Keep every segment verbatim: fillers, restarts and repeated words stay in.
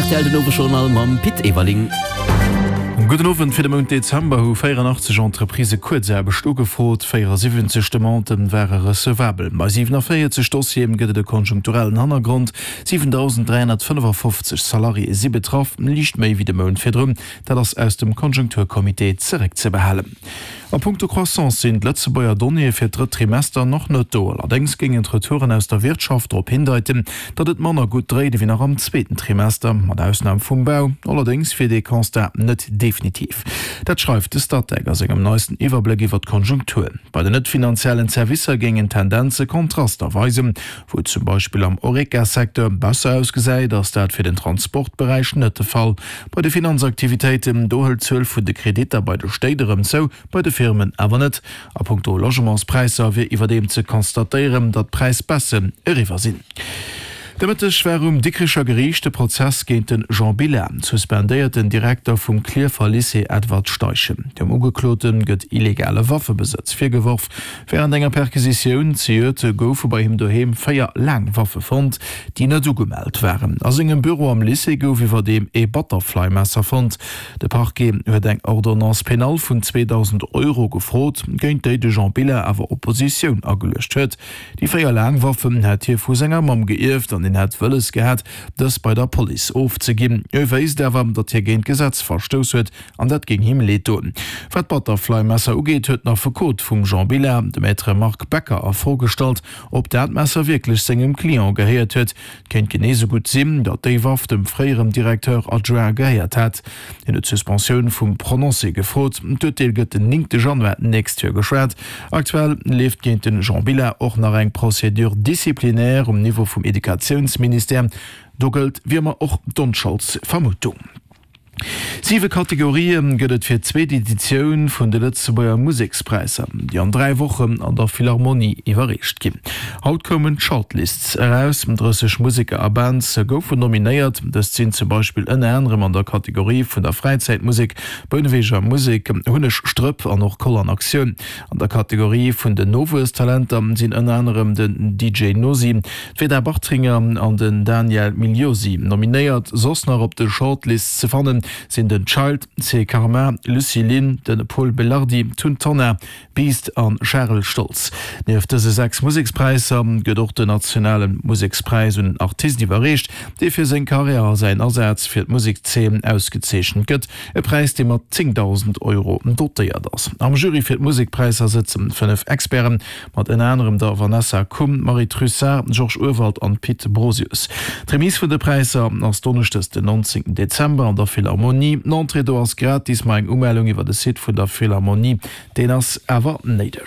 Rtl den Owesjournal mam Pit Everling. Gudden Owend, Fir de Mount Dezember hu véieranachtzeg Entreprisë Kuerzaarbecht ugefrot, véierasiwwenzeg Demandë ware recevabel. Bei siwenavéierzeg Dossiere gëtt et e konjunkturellen Hannergrond, siwentausend dräihonnertfënnefafofzeg Salariéë si betraff, liicht méi wéi de Mount virdrun. Dat ass aus dem Konjunkturcomité zeréckzebehalen. A punkto Croissance sinn d'Lëtzebuerger Donnéeë fir d'drëtt Trimester nach net do. Allerdéngs géingen d'Retouren aus der Wirtschaft drop hindeiten, datt et manner gutt dréit ewéi nach am zweeten Trimester, mat Ausnam vum Bau. Allerdéngs wier dee Constat net definitiv. Dat schreift de Statec a sengem neisten Iwwerbléck iwwer d'Konjunktur. Bei den net-finanziellen Servicer géingen d'Tendenze Kontraster weisen. Wou et zum Beispill am Horeca-Secteur besser ausgesäit, ass dat fir den Transportberäich net de Fall. Bei de Finanzaktivitéiten, do hëlt d'Zuel vun de Kreditter bei de Stéit erëm zou, bei de Firmen awer net. A punkto Logementspräisser wier iwwerdeem ze constatéieren, datt d'Präisbaissen eriwwer sinn. De Mëtteg war um Dikricher Geriicht de Prozess géint de Jean Billa, suspendéierten Direkter vum Klierfer Lycée Edward Steichen. Dem Ugeklote gëtt illegale Waffebesëtz virgeworf. Wärend enger Perquisitioun zejoert goufe bei him doheem véier Laangwaffe fonnt, déi net ugemellt waren. A sengem Büro am Lycée gouf iwwerdeem ee Butterfly-Messer fonnt. De Parquet huet eng Ordonnance pénale vun zweedausend Euro gefrot, géint déi de Jean Billa awer Oppositioun ageluecht huet. Déi véier Laangwaffen hätt hie vu senger Mamm geierft an hien hätt wëlles gehat, dës bei der Police ofzeginn. Hie wéisst awer, datt hie géint d'Gesetz verstouss huet an dat géing him leed doen. Wat d'Butterfly-Messer ugeet, huet den Affekot vum Jean Billa, de Maître Marc Becker, a Fro gestallt, ob dat Messer wierklech sengem Client gehéiert huet. Et kéint genee sou gutt sinn, datt déi Waff dem fréieren Directeur adjoint gehéiert hätt. Hien huet d'Suspensioun vum Prononcé gefrot. D'Urteel gëtt den néngte Januar d'nächst Joer geschwat. Aktuell leeft géint de Jean Billa och nach eng Procédure disciplinaire um Niveau vum Educatiounsministère. Do gëllt wéi ëmmer och d'Onscholdsvermutung. Siwe Kategorië gëtt et fir d'zweet Editioun vun de Lëtzebuerger Musekspräisser, déi an dräi Wochen an der Philharmonie iwwerreecht ginn. Haut koumen d'Shortlists eraus. drësseg Museker a Bands goufen nominéiert. Dëst sinn zum Beispill ënner anerem an der Kategorie vun der Fräizäitmusek Bounneweger Musek, Hunneg Strëpp an och Koll an Aktioun. An der Kategorie vun den Nowuesstalenter sinn ënner anerem den D J Nosi, d'Veda Bartringer an den Daniel Migliosi nominéiert. Soss nach op de Shortlists ze fannen sinn den Child, C. Karma, Lucy Lynn, de Pol Belardi, Tun Tonnar, Beast a Charel Stoltz. Nieft dëse sechs Musekspräisser gëtt och den nationale Musekspräis un en Artist iwwerreecht, dee fir seng Karriär a säin Asaz fir d'Musekszeen ausgezeechent gëtt, e Präis, dee mat zéngdausend Euro dotéiert ass. Am Jury fir d'Musekpräisser sëtzen fënnef Experten, mat ënner anerem der Vanessa Kumm, Marie Trussart, Georges Urwald an Pit Brosius. D'Remise vun de Präisser ass donneschdes den nonzéngten Dezember an der Philharmonie. D'Entrée do ass gratis, ma eng Umellung iwwer de Site vun der Philharmonie, deen ass awer néideg.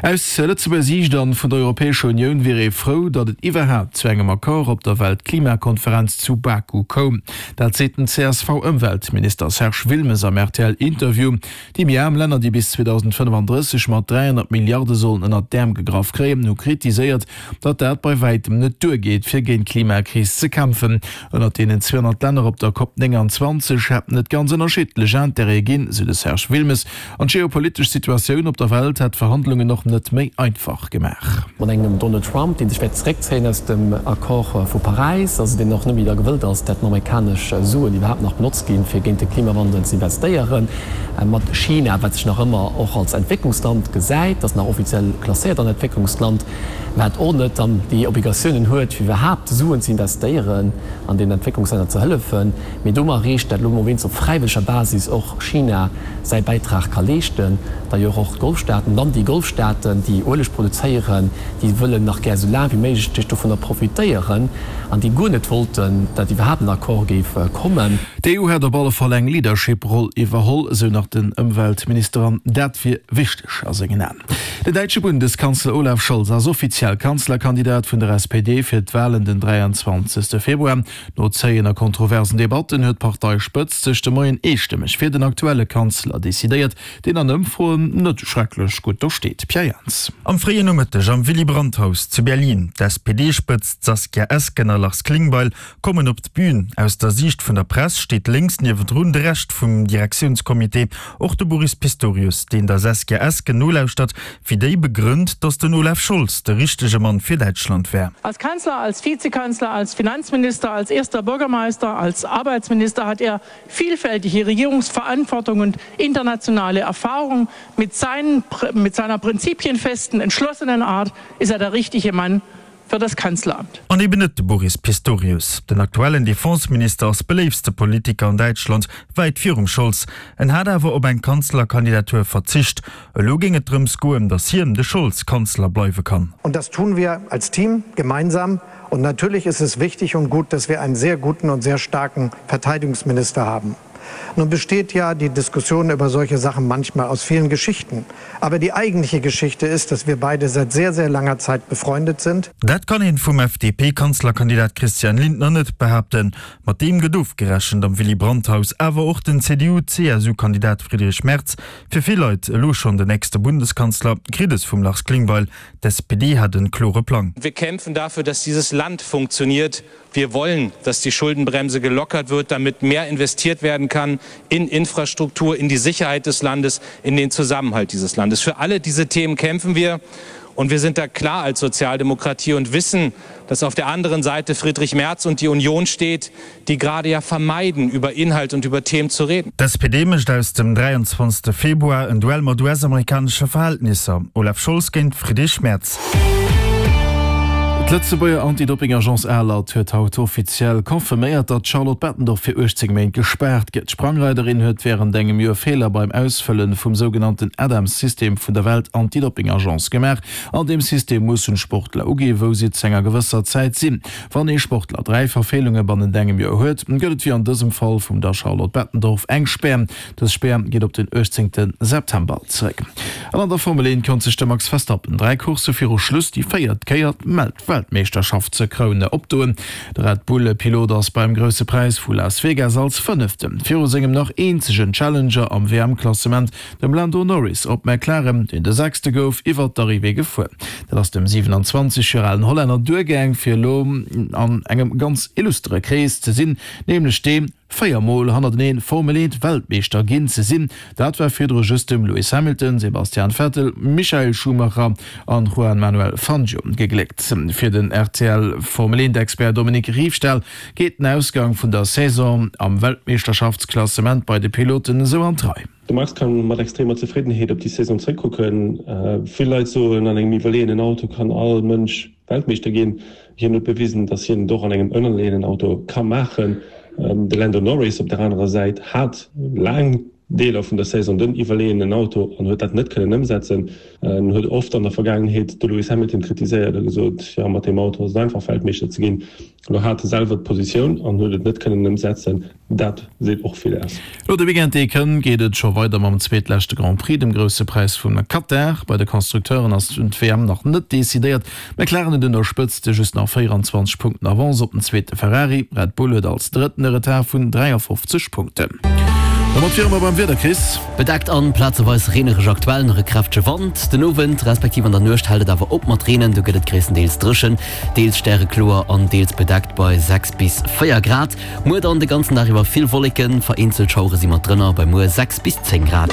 Aus Lëtzebuerger Siicht an vun der Europäescher Unioun wier ee frou, datt et iwwerhaapt zu engem Accord op der Weltklimakonferenz zu Baku koum. Dat seet den C S V-Ëmweltminister Serge Wilmes am R T L-Interview. Déi méi aarm Länner, déi bis zweedausendfënnefandrësseg mat dräihonnert Milliarde sollen ënnert d'Äerm gegraff kréien, hu kritiséiert, datt dat bei wäitem net duergeet, fir géint d'Klimakris ze kämpfen. Ënnert deenen zweehonnert Länner op der COP nénganzwanzeg hätten et ganz ënnerschiddlech Interêtë ginn, sou de Serge Wilmes. An d'geopolitesch Situatioun op der Welt hätt d'Verhandlungen och net méi einfach gemaach. Mat engem Donald Trump, dee sech wäert zeréckzéien aus dem Accord vu Paräis, also deen och net méi da gewëllt ass, dat amerikanesch Suen iwwerhaapt nach benotzt ginn, fir géint de Klimawandel ze investéieren, mat China, wat sech nach ëmmer och als Entwécklungsland gesäit, dat nach offiziell klasséiert an Entwécklungsland, wat och net dann déi Obligatiounen huet, fir iwwerhaapt Suen ze investéieren an den Entwécklungslänner ze hëllefen, mee domat erreecht, dat elo mol wéinst op fräiwëlleger Basis och China säi Bäitrag ka leeschten, d'ailleurs och d'Golfstaaten, dann déi Golfstaaten, déi Ueleg produzéieren, déi wëllen nach gär esou laang wéi méiglech dovunner profitéieren an déi guer net wollten, dat iwwerhaapt en Accord géif kommen. D'E U hätt op alle Fall eng Leadership-Roll iwwerholl, esou nach den Ëmweltminister, an dat wier wichteg a sengen Aen. Den däitsche Bundeskanzler Olaf Scholz ass offiziell Kanzlerkandidat vun der S P D fir d'Walen den dräianzwanzegste Februar. No zéien a kontroversen Debatten huet d'Parteispëtzt sech de Moien eestëmmeg fir den aktuelle Kanzler decidéiert, deen an Ëmfroen net schrecklech gutt do steet. Pierre Jans. Am fréien Nomëtteg am Willy Brandt-Haus zu Berlin, d'S P D-Spëtzt Saskia Esken a Lars Klingbeil kommen op d'Bün. Aus der Siicht vun der Press steet steet lénks niewendrun de Rescht vum Direktiounscomité, och de Boris Pistorius, deen der Saskia Esken nolauschtert, wéi déi begrënnt, datt den Olaf Scholz de richtege Mann fir Däitschland wär. Als Kanzler, als Vizekanzler, als Finanzminister, als erster Bürgermeister, als Arbeitsminister hat er vielfältige Regierungsverantwortung und internationale Erfahrung. Mit seinen, mit seiner prinzipienfesten, entschlossenen Art ist er der richtige Mann für das Kanzleramt. An eben net de Boris Pistorius. Den aktuellen Defenseminister ass beléiftste Politiker an Däitschland, wäit virum Scholz. En hat awer op eng Kanzlerkandidatur verzicht. Elo géing et drëms goen, datt hien, de Scholz, Kanzler bleiwe kann. Und das tun wir als Team gemeinsam. Und natürlich ist es wichtig und gut, dass wir einen sehr guten und sehr starken Verteidigungsminister haben. Nun besteht ja die Diskussion über solche Sachen manchmal aus vielen Geschichten. Aber die eigentliche Geschichte ist, dass wir beide seit sehr, sehr langer Zeit befreundet sind. Dat kann een vum F D P-Kanzlerkandidat Christian Lindner net behaapten. Mat deem gëtt ofgerechent am Willy Brandt-Haus, awer och den C D U-C S U-Kandidat Friedrich Merz, fir vill Leit elo schonn den nächste Bundeskanzler, kritt es vum Lars Klingbeil. D'S P D hat en klore Plang. Wir kämpfen dafür, dass dieses Land funktioniert. Wir wollen, dass die Schuldenbremse gelockert wird, damit mehr investiert werden kann in Infrastruktur, in die Sicherheit des Landes, in den Zusammenhalt dieses Landes. Für alle diese Themen kämpfen wir. Und wir sind da klar als Sozialdemokratie und wissen, dass auf der anderen Seite Friedrich Merz und die Union steht, die gerade ja vermeiden, über Inhalt und über Themen zu reden. D'S P D mécht aus dem dräianzwanzegste Februar en Duell mat U S-amerikanesche Verhältnisser. Olaf Scholz géint Friedrich Merz. D'Lëtzebuerger Anti-Doping-Agence ALAD huet haut offiziell confirméiert, datt d'Charlotte Bettendorf fir uechtzéng Méint gespaart gëtt. D'Sprangreiderin huet wärend engem Joer Feeler beim Ausfëlle vum sougenannten ADAMS-System vun der Welt-Anti-Doping-Agence gemaach. An deem System mussen d'Sportler uginn, wou si zu enger gewësser Zäit sinn. Wann ee Sportler dräi Verfeelunge bannent engem Joer huet, gëtt et wéi an dësem Fall vum der Charlotte Bettendorf eng Spär. Dës Spär geet op den uechtzéngte September zeréck. An an der Formel eent konnt sech de Max Verstappen dräi Coursse viru Schluss déi véiert Kéier d'Weltmeeschterschaftskroun opdoen. De Red Bull-Pilot ass beim Grousse Präis vu Las Vegas als Fënnefte viru sengem nach eenzegen Challenger am W M-Klassement, dem Lando Norris op McLaren, deen de Sechste gouf, iwwer d'Arrivée gefuer. Dat ass dem siewenanzwanzeg Joer alen Hollänner duergaang, fir elo an engem ganz illustere Krees ze sinn, nämlech deem, véier Mol hannerteneen Formel eent Weltmeeschter ginn ze sinn. Dat war virdru just dem Lewis Hamilton, Sebastian Vettel, Michael Schumacher an Juan Manuel Fangio gegléckt. Fir den R T L Formel eent Expert Dominique Riefstahl geet den Ausgang vun der Saison am Weltmeeschterschaftsklassement bei de Piloten esou an d'Rei. De Max kann mat extremer Zefriddenheet op déi Saison zréckkucken. Vill Leit soen, an engem iwwerleeënen Auto kann all Mënsch Weltmeeschter ginn. Hien huet bewisen, datt hien et och an engem ënnerleeënen Auto ka maachen. De Lando Norris op der anerer Säit hat laang Deeler vun der Saison den iwwerleeënen Auto an huet dat net kënnen ëmsetzen. En huet oft an der Vergaangenheet de Lewis Hamilton kritiséiert a gesot, jo mat deem Auto ass et einfach Weltmeeschter ze ginn. Elo hat e selwer d'Positioun an huet et net kënnen ëmsetzen. Dat seet och vill aus. Elo de Weekend dee kënnt, geet et scho weider mam zweetleschte Grand Prix, dem Grousse Präis vum Katar. Bei de Constructeuren ass d'W M nach net decidéiert. McLaren huet un der Spëtzt just nach véieranzwanzeg Punkten Avance op den zweete Ferrari. Red Bull huet als Drëtten e Retard vun dräiafofzeg Punkten. Domat wiere mer beim Wieder, Chris. Bedeckt an plazeweis reenereg, aktuell nach e kräftege Wand. Den Owend respektiv an der Nuecht hält et awer op mat Reenen, do gëtt et gréisstendeels dréchen, deels stärekloer an deels bedeckt bei sechs bis véier Grad. Muer dann de ganzen Dag iwwer vill Wolleken, vereenzelt Schauere si mat drënner, bei muer sechs bis zéng Grad.